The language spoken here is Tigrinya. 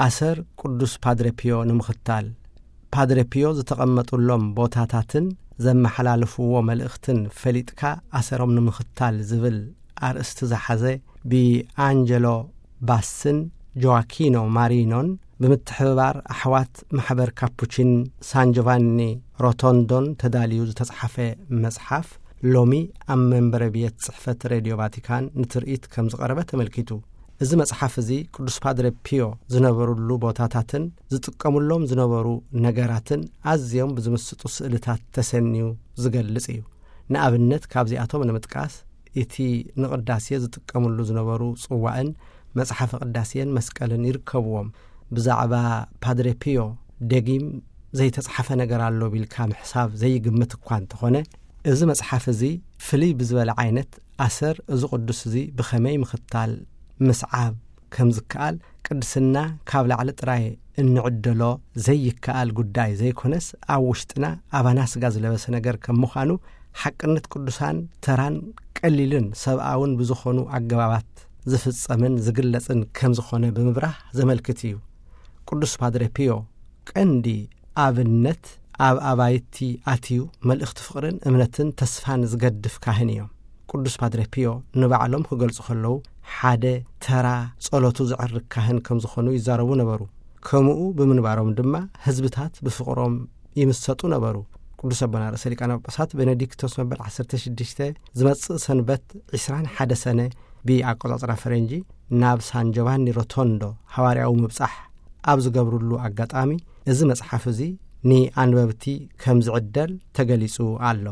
ኣሰር ቅዱስ ፓድረ ፒዮ ንምኽታል፣ ፓድረ ፒዮ ዝተቐመጡሎም ቦታታትን ዘመሓላልፍዎ መልእኽትን ፈሊጥካ ኣሰሮም ንምኽታል ዝብል ኣርእስቲ ዝሓዘ፣ ብኣንጀሎ ባስን ጆዋኪኖ ማሪኖን ብምትሕብባር ኣሕዋት ማሕበር ካፑቺን ሳን ጆቫኒ ሮቶንዶን ተዳልዩ ዝተጻሕፈ መጽሓፍ፣ ሎሚ ኣብ መንበረ ቤት ጽሕፈት ሬድዮ ቫቲካን ንትርኢት ከም ዝቐረበ ተመልኪቱ። እዚ መጽሓፍ እዚ ቅዱስ ፓድረ ፒዮ ዝነበሩሉ ቦታታትን ዝጥቀሙሎም ዝነበሩ ነገራትን ኣዝዮም ብዝምስጡ ስእልታት ተሰንዩ ዝገልጽ እዩ። ንኣብነት ካብዚኣቶም ንምጥቃስ፣ እቲ ንቕዳሴ ዝጥቀሙሉ ዝነበሩ ጽዋእን መጽሓፈ ቅዳሴን መስቀልን ይርከብዎም። ብዛዕባ ፓድረ ፒዮ ደጊም ዘይተጻሕፈ ነገር ኣሎ ቢልካ ምሕሳብ ዘይግምት እኳ እንተኾነ፣ እዚ መጽሓፍ እዚ ፍልይ ብዝበለ ዓይነት ኣሰር እዚ ቅዱስ እዚ ብኸመይ ምኽታል፣ ምስዓብ ከም ዝከኣል፣ ቅድስና ካብ ላዕሊ ጥራይ እንዕደሎ ዘይከኣል ጉዳይ ዘይኮነስ፣ ኣብ ውሽጥና ኣባና ስጋ ዝለበሰ ነገር ከም ምዃኑ፣ ሓቅነት ቅዱሳን ተራን ቀሊልን ሰብኣውን ብዝኾኑ ኣገባባት ዝፍጸምን ዝግለጽን ከም ዝኾነ ብምብራህ ዘመልክት እዩ። ቅዱስ ፓድረ ፒዮ ቀንዲ ኣብነት ኣብ ኣባይቲ ኣትዩ መልእኽቲ ፍቕርን እምነትን ተስፋን ዝገድፍ ካህን እዮም። ቅዱስ ፓድረ ፒዮ ንባዕሎም ክገልጹ ከለዉ፣ ሓደ ተራ ጸሎቱ ዘዕርግ ካህን ከም ዝኾኑ ይዛረቡ ነበሩ። ከምኡ ብምንባሮም ድማ ህዝብታት ብፍቕሮም ይምሰጡ ነበሩ። ቅዱስ ኣቦና ርእሰ ሊቃነ ጳጳሳት ቤኔዲክቶስ መበል ዓሰርተ ሽዱሽተ ዝመጽእ ሰንበት ዕስራን ሓደ ሰነ ብኣቆጻጽራ ፈረንጂ ናብ ሳን ጆቫኒ ሮቶንዶ ሃዋርያዊ ምብጻሕ ኣብ ዝገብርሉ ኣጋጣሚ፣ እዚ መጽሓፍ እዚ ንኣንበብቲ ከም ዝዕደል ተገሊጹ ኣሎ።